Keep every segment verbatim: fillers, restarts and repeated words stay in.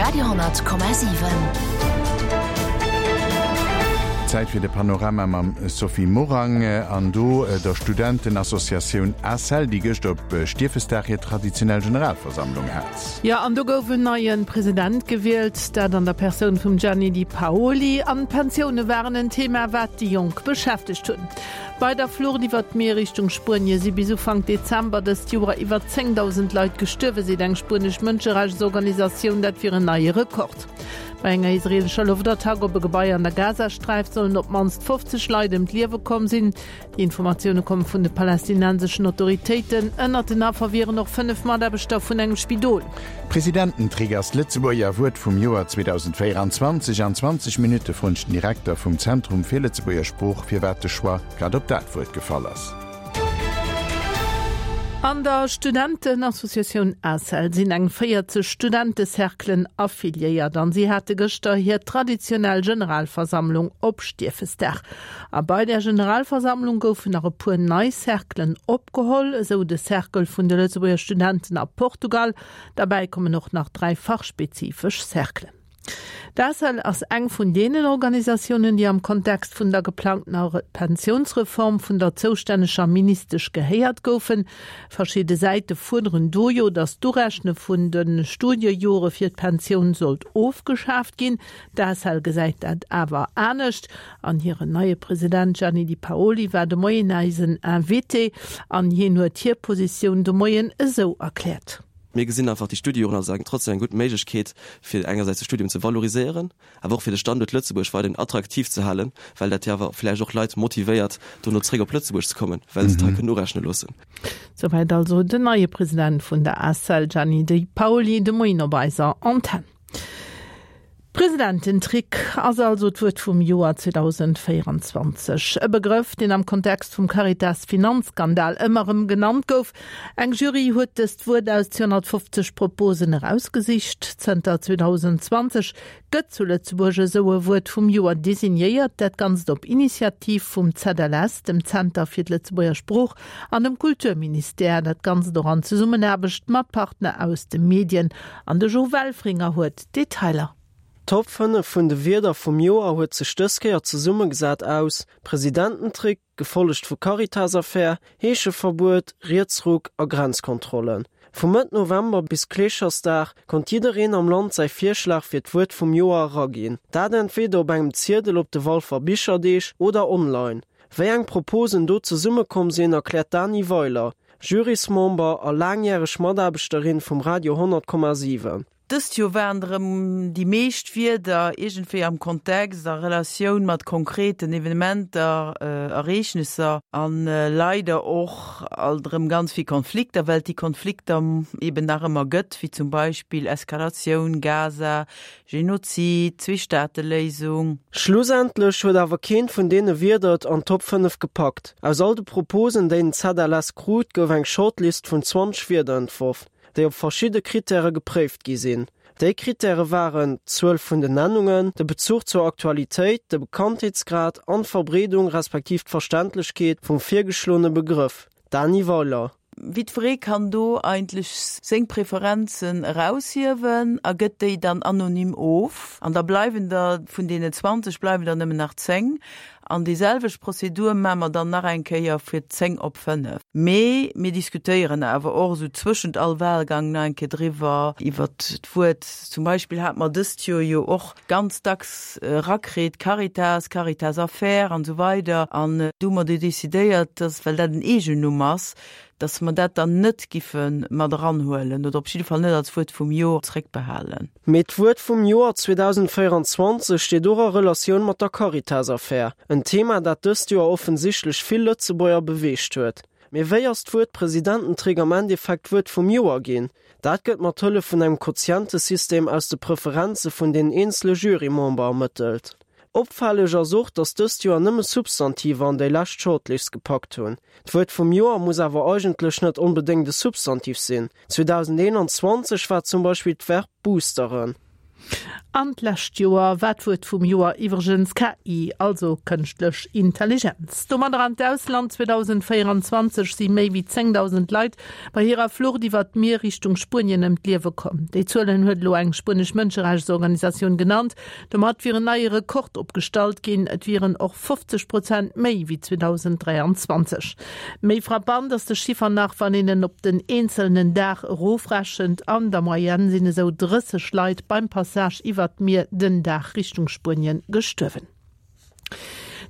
Radio honnert Komma siwen. Zäit fir de Panorama mam Sophie Morang an do der Studentenassociatioun ACEL, déi gëscht op Stiefesdag hir traditionell Generalversammlung hat. Jo, an do gouf en neie President gewielt, dat an der Persoun vum Gianni Di Paoli. An d'Pensioune waren en Thema, wat déi Jonk beschäftegt hunn. Bei der Flucht iwwer d'Mier Richtung Spuenie si bis Ufank Dezember dëst Joer iwwer zéngdausend Leit gestuerwen, seet eng spuenesch Mënscherechtsorganisatioun. Dat wier en neie Rekord. Bei enger israeelescher Loftattack op e Gebai an der Gazasträif sollen op d'mannst fofzeg Leit ëm d'Liewe komm sinn. Déi Informatioune komme vun de palästinenseschen Autoritéiten. Ënnert den Affer wieren och fënnef Mataarbechter vun engem Spidol. Presidententrick ass d'Lëtzebuerger Wuert vum Joer zweedausendvéieranzwanzeg. An zwanzeg Minutte froen ech den Direkter vum Zentrum fir Lëtzebuerger Sprooch, firwat de Choix grad op dat Wuert gefall ass. An der Studentenassociatioun ACEL sinn eng véierzeg Studentecerclen affiliéiert an si hate gëschter hir traditionell Generalversammlung op Stiefesdag. A bei der Generalversammlung goufen nach e puer nei Cerclen opgeholl, esou de Cercle vun de Lëtzebuerger Studenten a Portugal. Derbäi kommen och nach dräi fachspezifesch Cerclen. D'ACEL ass eng vun deenen Organisatiounen, déi am Kontext vun der geplangtener Pensiounsreform vun der zoustänneger Ministesch gehéiert goufen. Verschidde Säite fuerderen do jo, datt d'Urechne vun de Studiejore fir d'Pensioun sollt ofgeschaaft ginn. D'ACEL gesäit dat awer anescht an hiren neie President Gianni Di Paoli war de Moien eisen Invité an hien huet hir Positioun de Moien esou erkläert. Mir gesinn einfach déi Studiejoren als eng trotzdem eng gutt Méiglechkeet, fir engersäits de Studium ze valoriséieren, awer och fir de Standuert Lëtzebuerg weiderhin attraktiv ze halen, well dat jo awer vläicht och Leit motivéiert, dono zréck op Lëtzebuerg ze kommen, well se et hei kënnen urechne loossen. Souwäit also den neie President vun der ACEL Gianni Di Paoli de Moien op eiser Antenn. Presidententrick ass also d'Wuert vum Joer zweedausendvéieranzwanzeg. E Begrëff, deen am Kontext vum Caritas-Finanzskandal ëmmer erëm genannt gouf. Eng Jury huet dëst Wuert aus zweehonnertfofzeg Proposen erausgesicht. Zënter zweedausendzwanzeg gëtt zu Lëtzebuerg esou e Wuert vum Joer designéiert, dat Ganzt op Initiativ vum Z L S, dem Zenter fir d'Lëtzebuerger Sprooch, an dem Kulturministère, dat Ganzt och an Zesummenaarbecht mat Partner aus de Medien. An de Jo Welfringer huet d'Detailer. D'Top fënnef vun de Wierder vum Joer huet sech dës Kéier zesummegesat aus Presidententrick, gefollegt vu Caritas-Affär, Heescheverbuet, Rietsruck a Grenzkontrollen. Vu Mëtt November bis Kleeschersdag konnt jiddereen am Land säi Virschlag fir d'Wuert vum Joer eraginn. Dat entweder op engem Ziedel op de Walfer Bicherdeeg oder online. Wéi eng Proposen do zesummekomm sinn, erkläert d'Dany Weiler, Jurysmember a laangjäreg Mataarbechterin vum Radio honnert Komma siwen. Dëst Joer waren erëm déi meescht Wierder iergendwéi am Kontext, a Relatioun mat konkreten Evenementer, Ereegnesser an leider och alt erëm ganz vill Konflikter, well et déi Konflikter eben nach ëmmer gëtt, wéi zum Beispill Eskalatioun, Gaza, Genozid, Zweestaateléisung. Schlussendlech huet awer keent vun deene Wierder et an d'Top fënnef gepackt. Aus all de Proposen, déi den Z L S krut, gouf eng Shortlist vun zwanzeg Wierder entworf, déi op verschidde Krittäre gepréift gi sinn. Déi Krittäre waren d'Zuel vun den Nennungen, de Bezuch zur Aktualitéit, de Bekanntheetsgrad an d'Verbreedung respektiv d'Verständlechkeet vum virgeschloene Begrëff. Dany Weiler. Jiddweree kann do eigentlech seng Preferenzen eraushiewen a gëtt déi dann anonym of. An da bleiwen der vun deenen zwanzeg bleiwen der nëmmen nach zéng. An déi selwecht Prozedur maache mer dann nach eng Kéier fir zéng op fënnef. Mee mir diskutéieren awer och esou zwëschent all Wahlgang nach eng Kéier driwwer, iwwert d'Wuert. Zum Beispill hate mer dëst Joer jo och ganz dacks erakritt, Caritas, Caritas-Affär an esou weider. An du hu mer du decidéiert, dass, well dat en Eegennumm ass, dass mer dat dann net giffe mat eranhuelen oder op jidde Fall net als Wuert vum Joer zréckbehalen. Mee d'Wuert vum Joer zweedausendvéieranzwanzeg steet och a Relatioun mat der Caritas-Affär, en Thema, dat dëst Joer offensichtlech vill Lëtzebuerger beweegt huet. Mee wéi ass d'Wuert Presidententrick am Endeffekt d'Wuert vum Joer ginn? Dat gëtt mat Hëllef vun engem Quotientesystem aus de Preferenze vun den eenzele Jurymember ermëttelt. Opfälleg ass och, datt dëst Joer nëmme Substantiver an déi lescht Shortlist gepackt hunn. D'Wuert vum Joer muss awer eigentlech net onbedéngt e Substantiv sinn. zweedausendeenanzwanzeg war zum Beispill d'Verb boosteren. An d'lescht Joer war d'Wuert vum Joer iwwregens K I, also kënschtlech Intelligenz. Domadder an d'Ausland, zweedausendvéieranzwanzeg si méi wéi zéngdausend Leit bei hirer Flucht iwwer d'Mier Richtung Spuenien ëm d'Liewe komm. Déi Zuelen huet elo eng spuenesch Mënscherechtsorganisatioun genannt. Domat wier en neie Rekord opgestallt ginn, et wieren och fofzeg Prozent méi wéi zweedausenddräianzwanzeg. Méi frappant ass de Chiffer nach, wann een en op den eenzelnen Dag erofrechent, An der Moyenne sinn esou drësseg Leit beim Passage iwwer d'Mier den Dag Richtung Spuenien gestuerwen.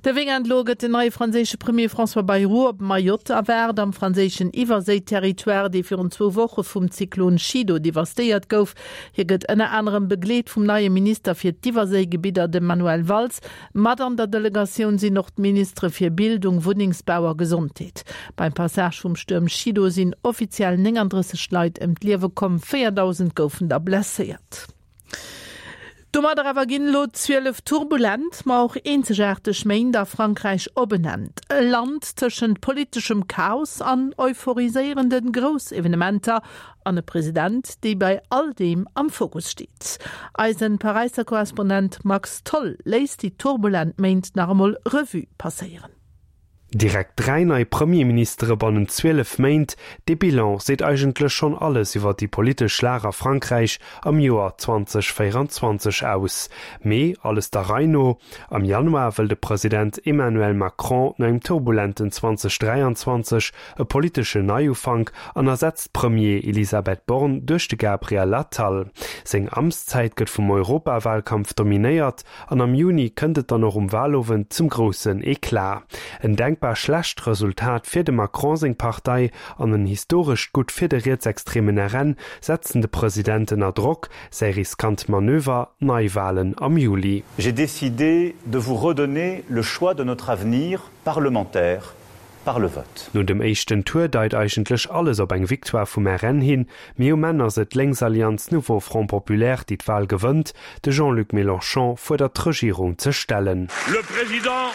De Weekend elo gëtt den neie franséische Premier François Bayrou op Mayotte erwaart, am franséischen Iwwerséi-Territoire, dee virun zwou Woche vum Zyklon Chido devastéiert gouf. Hie gëtt ënner anerem begleet vum neie Minister fir d'Iwwerséigebidder, dem Manuel Valls. Mat an der Delegatioun sinn och d'Ministere fir Bildung, Wunnengsbau a Gesondheet. Beim Passage vum Stuerm Chido sinn offiziell nénganddrësseg Leit ëm d'Liewe komm, véierdausend goufen der blesséiert. Domadder awer ginn elo zwielef turbulent, ma och eenzegaarteg Méint a Frankräich op en Enn. E Land tëschent politeschem Chaos an euphoriséierende Groussevenementer an e President, dee bei all deem am Fokus steet. Eisen Paräisser Korrespondent Max Tholl léisst déi turbulent Méint nach emol Revue passéieren. Direkt dräi nei Premierministere bannent zwielef Méint, dee Bilan seet eigentlech schonn alles iwwer déi politesch Lag a Frankräich am Joer zweedausendvéieranzwanzeg aus. Mee alles der Rei no, Am Januar wëll de President Emmanuel Macron no engem turbulenten zweedausendräianzwanzeg e politeschen Neiufank an ersetzt d'Premier Elisabeth Borne duerch de Gabriel Attal. Seng Amtszäit gëtt vum Europawalkampf dominéiert an am Juni kënnt et dann och um Walowend zum groussen Eclat. En denkbar schlecht Resultat fir dem Macron seng Partei an en historescht Gutt fir de rietsextremen R N setzen de President ënner Drock. Säi riskant Manöver, Neiwalen am Juli. J'ai décidé de vous redonner le choix de notre avenir parlementaire par le vote. No dem éischten Tour deit eigentlech alles op eng Victoire vum R N hin, mee um Enn ass et d'Lénksallianz Nouveau Front Populaire, déi d'Wal gewënnt. De Jean-Luc Mélenchon fuerdert d'Regierung ze stellen. Le président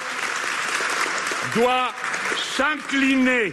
doit s'incliner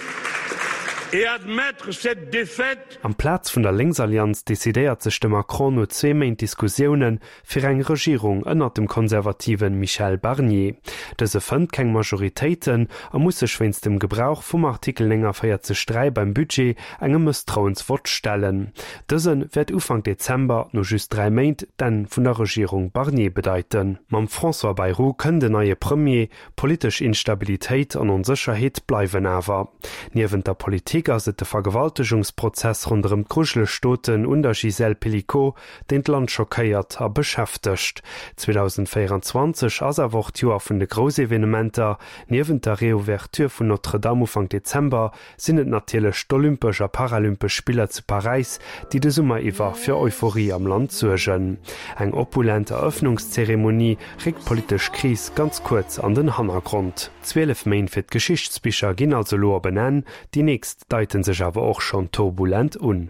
et admettre cette défaite. Amplaz vun der Lénksallianz decidéiert sech de Macron no zwee Méint Diskussioune fir eng Regierung ënnert dem konservative Michel Barnier. Dëse fënnt keng Majoritéiten a muss sech wéinst dem Gebrauch vum Artikel nénganvéierzeg dräi beim Budget engem Mësstrauensvott stellen. Dëse wäert Ufank Dezember, no just dräi Méint, d'Enn vun der Regierung Barnier bedeiten. Mam François Bayrou kënnt en neie Premier, politesch Instabilitéit an Onsécherheet bleiwen awer. Niewent der Politik ass et de Vergewaltegungsprozess ronderëm d'grujeleg Doten un der Gisèle Pelicot, deen d'Land schockéiert a beschäftegt. zweedausendvéieranzwanzeg ass awer och d'Joer vun de Groussevenementer, Niewent der Reouverture vun Notre-Dame Ufank Dezember sinn et natierlech d'Olympesch a Paralympesch Spiller zu Paräis, déi de Summer iwwer fir Euphorie am Land suergen. Eng opulent Erëffnungszeremonie réckt d'politesch Kris ganz kuerz an den Hannergrond. Zwielef Méint fir d'Geschichtsbicher ginn also elo op en Enn, déi nächst deite sech awer och schonn turbulent un.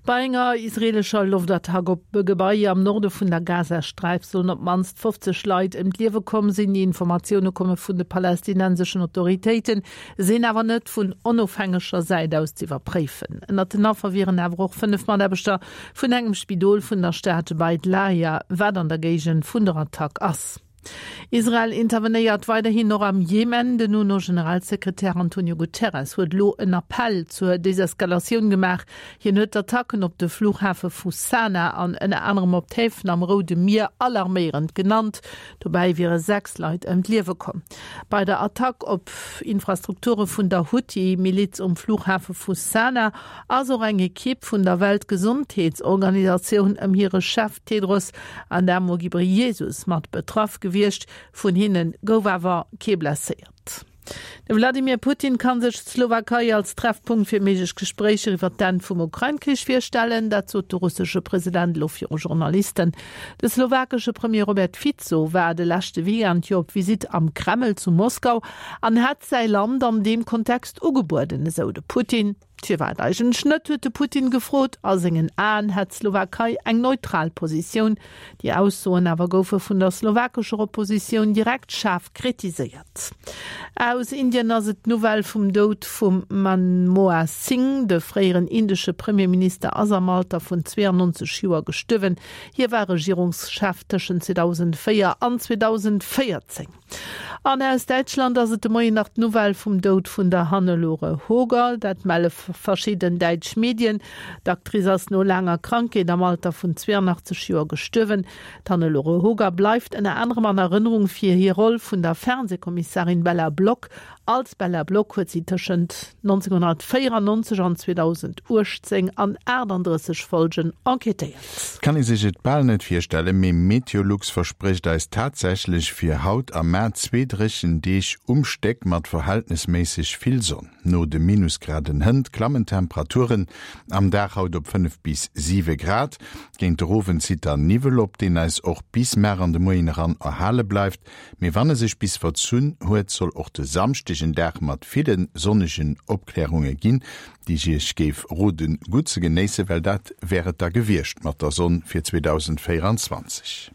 Bei enger israeelescher Loftattack op e Gebai am Norde vun der Gazasträif sollen op d'mannst fofzeg Leit ëm d'Liewe komm sinn. Déi Informatioune komme vun de palästinenseschen Autoritéiten, sinn awer net vun onofhängeger Säit aus z'iwwerpréifen. Ënnert den Affer wieren awer och fënnef Mataarbechter vun engem Spidol vun der Stad Beit Lahia, wat an der Géigend vun der Attack ass. Israel intervenéiert weiderhin och am Jemen. Den UNO-Generalsekretär Antonio Guterres huet elo en Appell zur Deseskalatioun gemaach. Hien huet d'Attacken op de Flughafe vu Sanaa an ënner anerem op d'Häfen am Roude Mier alarméierend genannt. Dobäi wiere sechs Leit ëm d'Liewe komm. Bei der Attack op Infrastrukture vun der Huthi-Miliz um Flughafe vu Sanaa ass och eng Ekipp vun der Weltgesondheetsorganisatioun ëm hire Chef Tedros Adhamo Ghebreyesus mat betraff gewiescht. Vun hinne gouf awer kee blesséiert. De Wladimir Putin ka sech d'Slowakei als Treffpunkt fir méiglech Gespréicher iwwer d'Enn vum Ukrain-Krich virstellen, dat sot de russesche President elo viru Journalisten. De slowakesche Premier Robert Fico war de leschte Weekend jo op Visitt am Kreml zu Moskau an hätt säi Land an deem Kontext ugebueden, esou de Putin. Firwat eigentlech net, huet de Putin gefrot. A sengen Aen hätt d'Slowakei eng neutral Positioun. Déi Aussoen awer goufe vun der slowakescher Oppositioun direkt schaarf kritiséiert. Aus Indien ass et d'Nouvelle vum Doud vum Manmohan Singh. De fréieren indesche Premierminister ass am Alter vun zweeanneunzeg Joer gestuerwen. Hie war Regierungschef tëschent zweedausendvéier an zweedausendvéierzéng. An aus Däitschland ass et de Moien nach d'Nouvelle vum Doud vun der Hannelore Hoger. Dat melle verschidden däitsch Medien. D'Actrice ass no laanger Krankheet am Alter vun zweeanachtzeg Joer gestuerwen. D'Hannelore Hoger bleift ënner anerem an Erënnerung fir hir Roll vun der Fernsehkommissarin Bella Block. Als Bella Block huet si tëschent nonzénghonnertvéierannonzeg an zweedausendachtzéng an aachtanddrësseg Folgen enquêtéiert. Et kann ee sech et bal net virstellen, mee Meteolux versprécht eis tatsächlech fir haut a mar zwee dréchen Deeg um Stéck mat verhältnesméisseg vill Sonn. No de Minusgraden hënt klammen d'Temperaturen am Dag haut op fënnef bis siwe Grad. Géint de Owend zitt dann Niwwel op, deen eis och bis mar an de Moien eran erhale bleift. Mee wann e sech bis verzunn huet, soll och de Samschdeg en Dag mat ville sonnegen Opklärunge ginn, déi ech Iech géif roden gutt ze genéissen, well dat wär et da gewiescht mat der Sonn fir zweedausendvéierundzwanzeg.